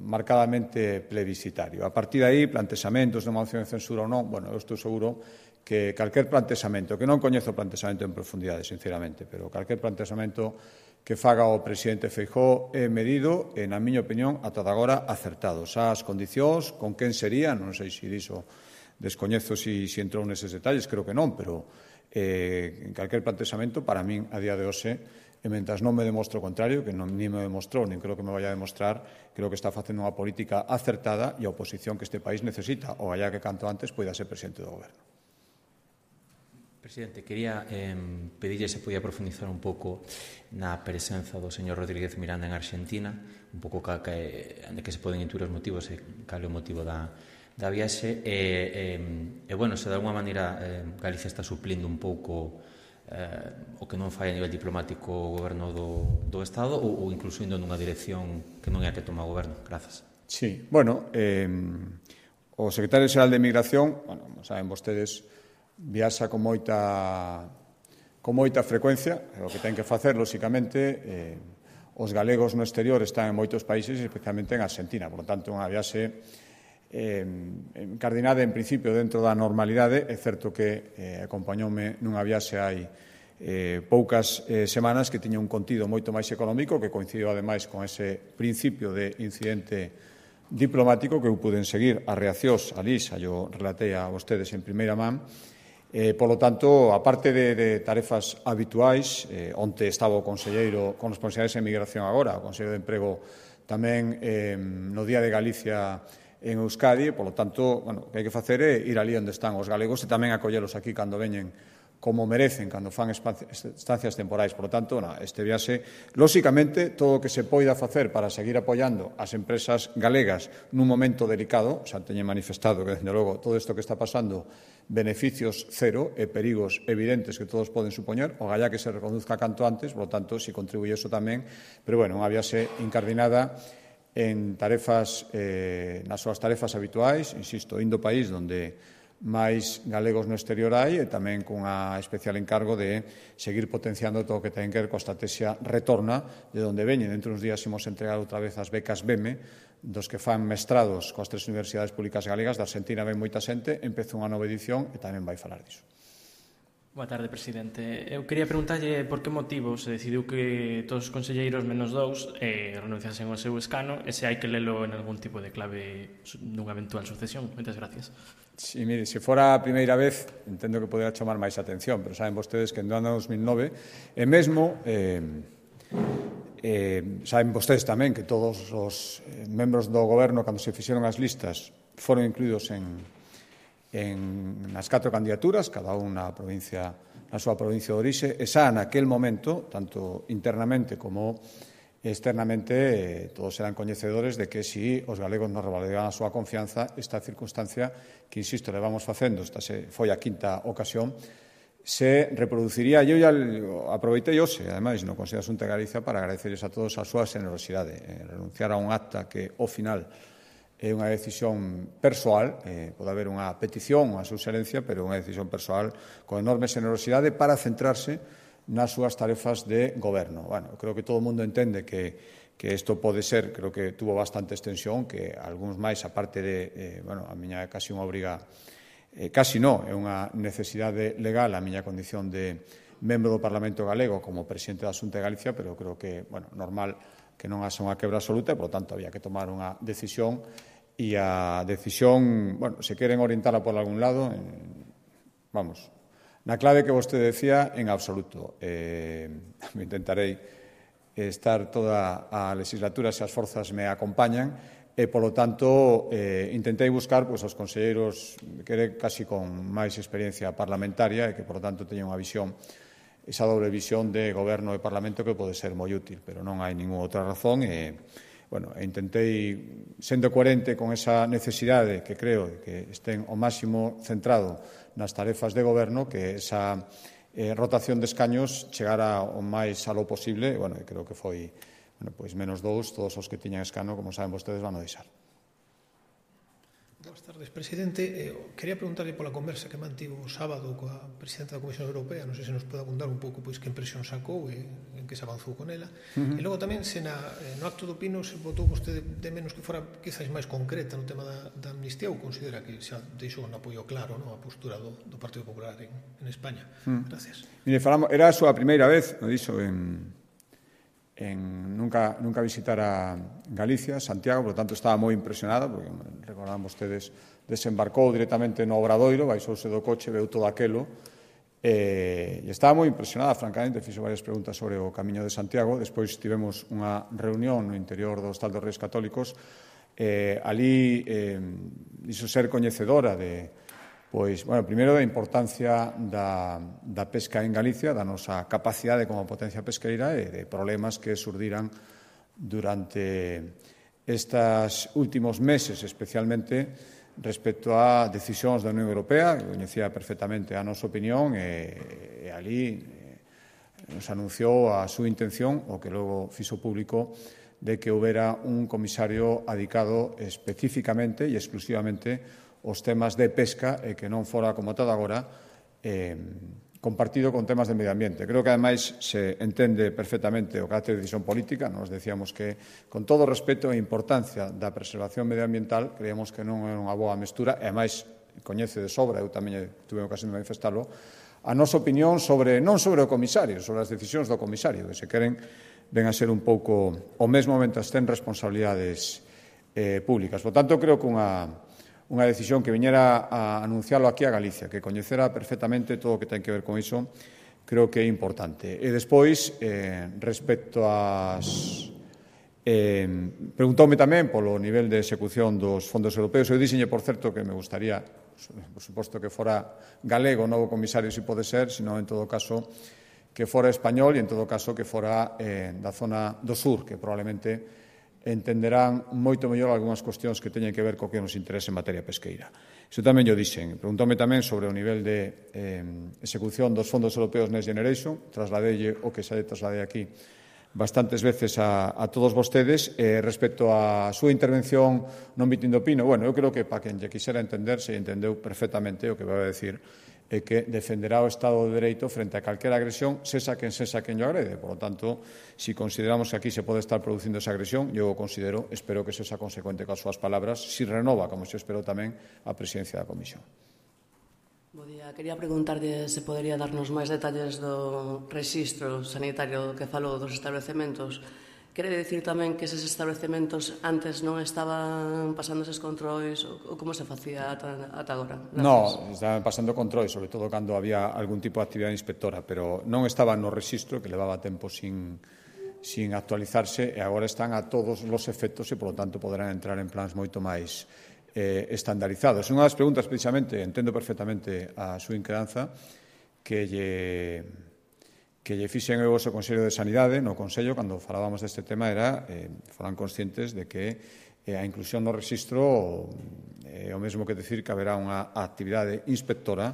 A: marcadamente plebiscitario. A partir de aí, plantexamentos de moción de censura ou non, bueno, eu estou seguro que calquer plantexamento, que non coñezo o plantexamento en profundidade, sinceramente, pero calquer plantexamento que faga o presidente Feijóo é medido e, na miña opinión, ata agora acertado. Xa as condicións, con quen sería, non sei se diso, descoñezo se entrou neses detalles, creo que non, pero en calquer plantexamento, para min, a día de hoxe, e mentras non me demostre o contrario, que ni me demostrou, nin creo que me vaya a demostrar, creo que está facendo unha política acertada e a oposición que este país necesita, o allá que canto antes poida ser presidente do goberno.
E: Presidente, quería pedirlle se podía profundizar un pouco na presenza do señor Rodríguez Miranda en Argentina, un pouco de que se poden intuir os motivos e cal é o motivo da viaxe e bueno, se de alguma maneira Galicia está suplindo un pouco o que non fai a nivel diplomático o goberno do Estado ou incluso indo nunha dirección que non é a que toma o goberno. Grazas.
A: Sí, bueno, O secretario xeral de Migración, bueno, saben vostedes, viaxa con moita frecuencia, o que ten que facer, lóxicamente, os galegos no exterior están en moitos países, especialmente en Argentina, por lo tanto, unha viaxe encardinada, en principio, dentro da normalidade. É certo que acompañoume nunha viaxe hai poucas semanas que tiña un contido moito máis económico, que coincidiu, ademais, con ese principio de incidente diplomático que eu puden seguir as reaccións alí, xa yo relatei a vostedes en primeira man. Por lo tanto, aparte de tarefas habituais, onte estaba o conselleiro con responsabilidades en migración agora, o conselleiro de emprego tamén no Día de Galicia en Euskadi, por lo tanto, o que hai que facer é ir ali onde están os galegos e tamén acollelos aquí cando veñen como merecen, cando fan estancias temporais. Por lo tanto, este viaxe, lóxicamente, todo o que se poida facer para seguir apoiando as empresas galegas nun momento delicado, xa teñen manifestado que, desde logo, todo isto que está pasando, beneficios cero e perigos evidentes que todos poden supoñer, o galla que se reconduzca canto antes, por lo tanto, si contribuye eso tamén, pero, bueno, unha viaxe incardinada en tarefas, nas súas tarefas habituais, insisto, indo país onde máis galegos no exterior hai e tamén cunha especial encargo de seguir potenciando todo o que ten que ver coa estrategia retorna de onde veñen. Dentro uns días imos entregar outra vez as becas BEME dos que fan mestrados coas 3 universidades públicas galegas. Da Argentina ven moita xente, empeza unha nova edición e tamén vai falar diso.
F: Boa tarde, presidente. Eu quería preguntarlle por que motivo se decidiu que todos os conselleiros menos 2 renunciasen ao seu escano e se hai que lelo en algún tipo de clave dunha eventual sucesión. Moitas gracias.
A: Sí, mire, se fora a primeira vez, entendo que podera chamar máis atención, pero saben vostedes que en ano 2009, e mesmo saben vostedes tamén que todos os membros do goberno, cando se fixeron as listas, foron incluídos nas 4 candidaturas, cada unha na súa provincia de orixe, e xa naquel momento, tanto internamente como externamente, todos eran coñecedores de que si os galegos nos revalidaban a súa confianza, esta circunstancia que, insisto, levamos facendo, esta foi a 5ª ocasión, se reproduciría. Eu ya aproveitei hoxe, ademais, no Consello de Xunta de Galicia, para agradecerles a todos a súa generosidade. Renunciar a un acta que, ao final, é unha decisión persoal, pode haber unha petición, unha suxerencia, pero unha decisión persoal con enorme generosidade para centrarse nas súas tarefas de goberno. Bueno, creo que todo o mundo entende que isto pode ser, creo que tuvo bastante extensión, que algúns máis, aparte de, a miña é casi unha obriga, casi non, é unha necesidade legal a miña condición de membro do Parlamento galego como presidente da Xunta de Galicia, pero creo que, normal que non haxa unha quebra absoluta e, por lo tanto, había que tomar unha decisión. E a decisión, se queren orientarla por algún lado, na clave que vostede decía, en absoluto. Intentarei estar toda a legislatura se as forzas me acompañan e, polo tanto, intentei buscar os conselleiros que casi con máis experiencia parlamentaria e que, por lo tanto, teñen unha visión, esa doble visión de goberno e parlamento que pode ser moi útil, pero non hai ninguna outra razón e intentei, sendo coherente con esa necesidade que creo que estén ao máximo centrado nas tarefas de goberno, que esa rotación de escaños chegara o máis alo posible, e creo que foi menos 2, todos os que tiñan escano, como saben vostedes, van a deixar.
G: Boas tardes, presidente. Quería preguntarle pola conversa que mantivo o sábado coa presidenta da Comisión Europea, non sei se nos pode abundar un pouco que impresión sacou e en que se avanzou con ela. E logo tamén, se no acto do Pino se votou vostede de menos que fora quizás máis concreta no tema da amnistía, ou considera que xa deixou un apoio claro a postura do Partido Popular en España? Gracias.
A: Mire, era a súa primeira vez, non dixo, nunca visitara Galicia, Santiago, por lo tanto estaba moi impresionado, porque recordaban vostedes, desembarcou directamente no Obradoiro, baixouse do coche, veu todo aquelo, e estaba moi impresionada, francamente, fixo varias preguntas sobre o Camiño de Santiago. Despois tivemos unha reunión no interior do Hostal dos Reis Católicos, ali dixo ser coñecedora de primeiro da importancia da pesca en Galicia, da nosa capacidade como potencia pesqueira e de problemas que surdiran durante estes últimos meses, especialmente respecto a decisións da Unión Europea, que coñecía perfectamente a nosa opinión, e ali nos anunciou a súa intención, o que logo fixo público, de que houbera un comisario adicado especificamente e exclusivamente aos temas de pesca e que non fora, como todo agora, compartido con temas de medio ambiente. Creo que, ademais, se entende perfectamente o carácter de decisión política. Nos decíamos que, con todo o respeto e importancia da preservación medioambiental, creíamos que non é unha boa mestura, e, ademais, coñece de sobra, eu tamén tuve ocasión de manifestalo, a nosa opinión non sobre o comisario, sobre as decisións do comisario, que se queren ven a ser un pouco o mesmo mentres ten responsabilidades públicas. Por tanto, creo que unha decisión que viñera a anuncialo aquí a Galicia, que coñecera perfectamente todo o que ten que ver con iso, creo que é importante. E despois, respecto ás... preguntoume tamén polo nivel de execución dos fondos europeos. Eu dixenlle, por certo, que me gustaría, por suposto, que fora galego o novo comisario, se pode ser, senón, en todo caso, que fora español e, en todo caso, que fora da zona do sur, que probablemente entenderán moito mellor algunhas cuestións que teñen que ver co que nos interesa en materia pesqueira. Iso tamén yo dixen. Preguntoume tamén sobre o nivel de execución dos fondos europeos Next Generation. Trasladelle o que xa trasladei aquí bastantes veces a todos vostedes. Respecto á súa intervención no mitin do Pino, eu creo que para quen lle quixera entender, se entendeu perfectamente o que vai a decir, é que defenderá o Estado de Dereito frente a calquera agresión, sexa quen yo agrede. Por lo tanto, si consideramos que aquí se pode estar producindo esa agresión, eu o considero, espero que sexa consecuente coas súas palabras, si renova, como se espero tamén, a presidencia da Comisión.
H: Bo día. Quería preguntarlle se podería darnos máis detalles do rexistro sanitario que falou dos establecementos. Quere dicir tamén que eses establecementos antes non estaban pasando eses controis ou como se facía ata agora?
A: Non, estaban pasando controis, sobre todo cando había algún tipo de actividade inspectora, pero non estaban no rexistro, que levaba tempo sin actualizarse, e agora están a todos os efectos e, polo tanto, poderán entrar en plans moito máis estandarizados. Unha das preguntas, precisamente, entendo perfectamente a súa inquedanza, que lle fixen eu ao Consello de Sanidade, no Consello, cando falábamos deste tema, foran conscientes de que a inclusión no rexistro é o mesmo que decir que haberá unha actividade inspectora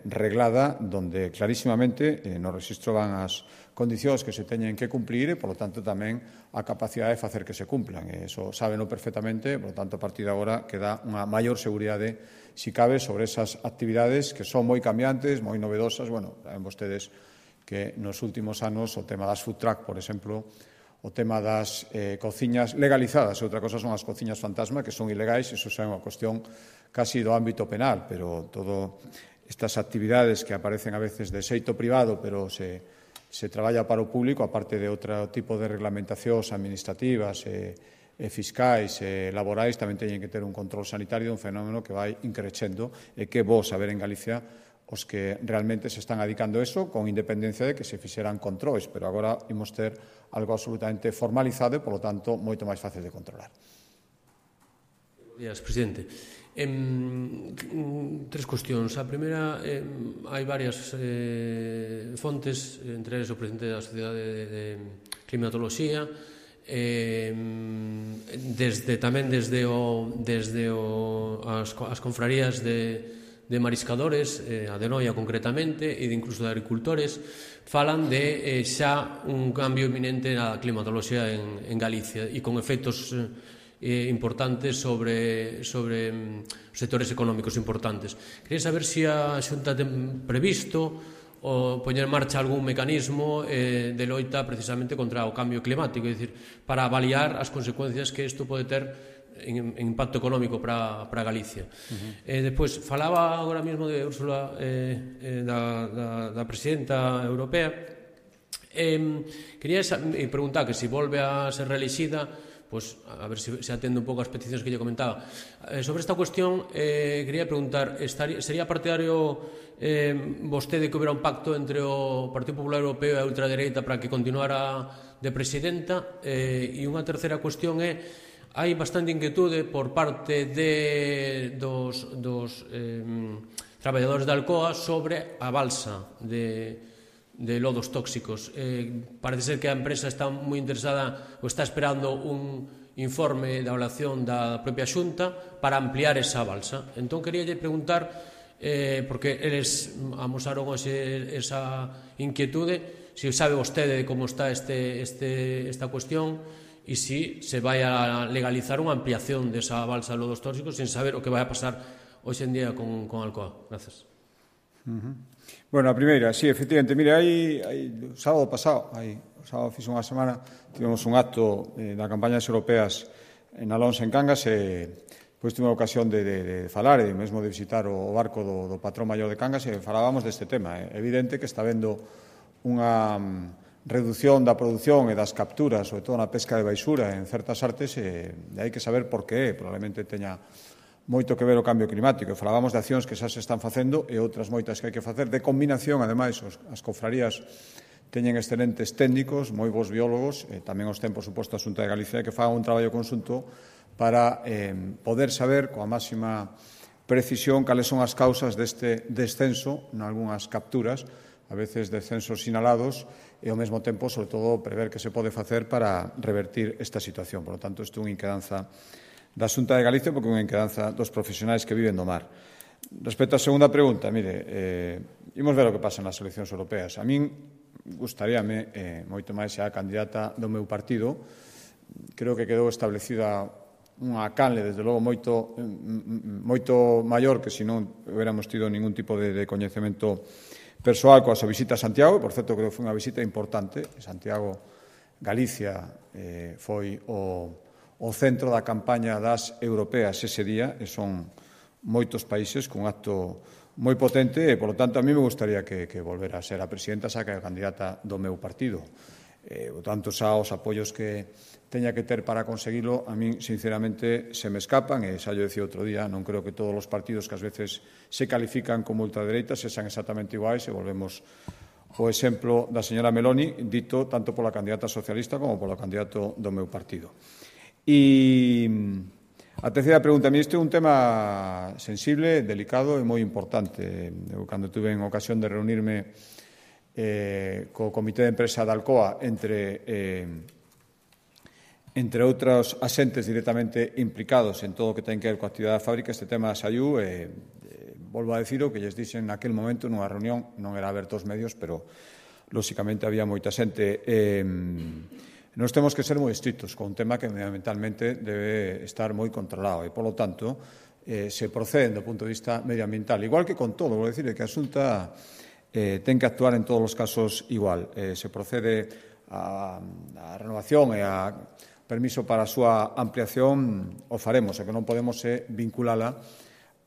A: reglada, donde clarísimamente no rexistro van as condicións que se teñen que cumplir e, polo tanto, tamén a capacidade de facer que se cumplan. Eso sábeno perfectamente, polo tanto, a partir de agora queda unha maior seguridade, si cabe, sobre esas actividades que son moi cambiantes, moi novedosas. Saben vostedes que nos últimos anos o tema das food truck, por exemplo, o tema das cociñas legalizadas, e outra cosa son as cociñas fantasma, que son ilegais, iso é unha cuestión casi do ámbito penal, pero todo estas actividades que aparecen a veces de xeito privado, pero se traballa para o público, aparte de outro tipo de reglamentacións administrativas e fiscais e laborais, tamén teñen que ter un control sanitario dun fenómeno que vai increcendo e que é bo saber en Galicia os que realmente se están adicando a eso, con independencia de que se fixeran controis, pero agora imos ter algo absolutamente formalizado e, polo tanto, moito máis fácil de controlar.
I: Días, presidente. Tres cuestións. A primeira, hai varias fontes, entre eles o presidente da Sociedade de Climatoloxía, tamén desde as confrarías de mariscadores, a de Noia concretamente, e incluso de agricultores, falan de xa un cambio inminente na climatoloxía en Galicia e con efectos importantes sobre sectores económicos importantes. Quería saber se a Xunta ten previsto o poñer en marcha algún mecanismo de loita precisamente contra o cambio climático, é dicir, para avaliar as consecuencias que isto pode ter en impacto económico para Galicia. Despois, falaba agora mesmo de Úrsula, da presidenta europea. Quería preguntar que se volve a ser reelixida, a ver se atende un pouco as peticións que lle comentaba. Sobre esta cuestión, quería preguntar, sería partidario vostede que houbera un pacto entre o Partido Popular Europeo e a ultradereita para que continuara de presidenta? E unha terceira cuestión é, hai bastante inquietude por parte dos traballadores da Alcoa sobre a balsa de lodos tóxicos. Parece ser que a empresa está moi interesada ou está esperando un informe da evaluación da propia Xunta para ampliar esa balsa. Entón, queríalle preguntar, porque eles amosaron esa inquietude, se sabe vostede como está esta cuestión e si se vai a legalizar unha ampliación desa balsa de lodos tóxicos sin saber o que vai a pasar hoxe en día con Alcoa. Gracias.
A: Bueno, a primeira, sí, efectivamente, mire, o sábado pasado, o sábado fixe unha semana, tivemos un acto da campañas europeas en Alonso, en Cangas, e pois tive a ocasión de falar e mesmo de visitar o barco do patrón maior de Cangas e falábamos deste tema. É evidente que está vendo unha reducción da produción e das capturas, sobre todo na pesca de baixura en certas artes, e hai que saber por que probablemente teña moito que ver o cambio climático. Falábamos de accións que xa se están facendo e outras moitas que hai que facer de combinación. Ademais, as cofrarías teñen excelentes técnicos, moi bons biólogos, e tamén os ten, por suposto, a Xunta de Galicia, que fagan un traballo conxunto para poder saber coa máxima precisión cales son as causas deste descenso nalgúnas capturas, a veces descensos sinalados, e ao mesmo tempo, sobre todo, prever que se pode facer para revertir esta situación. Por lo tanto, isto é unha inquedanza da Xunta de Galicia, porque é unha inquedanza dos profesionais que viven do mar. Respecto á segunda pregunta, mire, imos ver o que pasa nas eleccións europeas. A min gustaríame, moito máis xa a candidata do meu partido, creo que quedou establecida unha canle, desde logo, moito maior que se non hubiéramos tido ningún tipo de coñecemento persoal coa súa visita a Santiago. Por certo, creo que foi unha visita importante. Santiago, Galicia, foi o centro da campaña das europeas ese día, e son moitos países cun acto moi potente, e, polo tanto, a mí me gustaría que volvera a ser a presidenta, xa que é a candidata do meu partido. Por tanto, xa os apoios que teña que ter para conseguilo, a min, sinceramente, se me escapan, e xa yo decía outro día, non creo que todos os partidos que ás veces se califican como ultradereitas sexan exactamente iguais, e volvemos o exemplo da señora Meloni, dito tanto pola candidata socialista como polo candidato do meu partido. E a terceira pregunta, a mí este é un tema sensible, delicado e moi importante. Eu, cando tuve en ocasión de reunirme co Comité de Empresa da Alcoa, entre outros asentes directamente implicados en todo o que ten que ver coa actividade da fábrica, este tema saiu, e volvo a dicir o que lles dixen naquel momento nunha reunión, non era aberto aos medios, pero lóxicamente había moita xente. Nos temos que ser moi estritos con un tema que medioambientalmente debe estar moi controlado, e, polo tanto, se procede do punto de vista medioambiental, igual que con todo. Vou dicir que a Xunta ten que actuar en todos os casos igual. Se procede a renovación e a permiso para a súa ampliación, o faremos, e que non podemos vinculala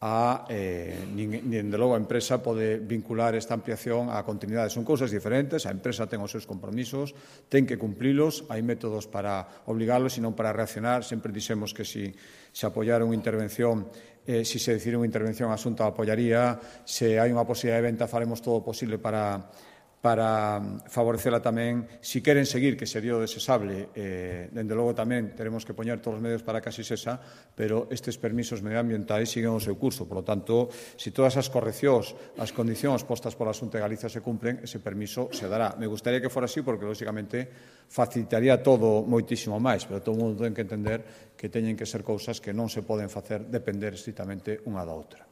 A: nin de logo a empresa pode vincular esta ampliación á continuidade. Son cousas diferentes, a empresa ten os seus compromisos, ten que cumprilos, hai métodos para obligarlos e non para reaccionar. Sempre dixemos que se apoiara unha intervención, se decide unha intervención, a Xunta apoiaría. Se hai unha posibilidade de venta, faremos todo o posible para favorecela tamén. Si queren seguir, que sería o desexable, dende logo tamén teremos que poñer todos os medios para que así sexa, pero estes permisos medioambientais siguen o seu curso. Por lo tanto, se todas as correccións, as condicións postas pola Xunta de Galicia se cumplen, ese permiso se dará. Me gustaría que fora así, porque, lóxicamente, facilitaría todo moitísimo máis, pero todo o mundo ten que entender que teñen que ser cousas que non se poden facer depender estritamente unha da outra.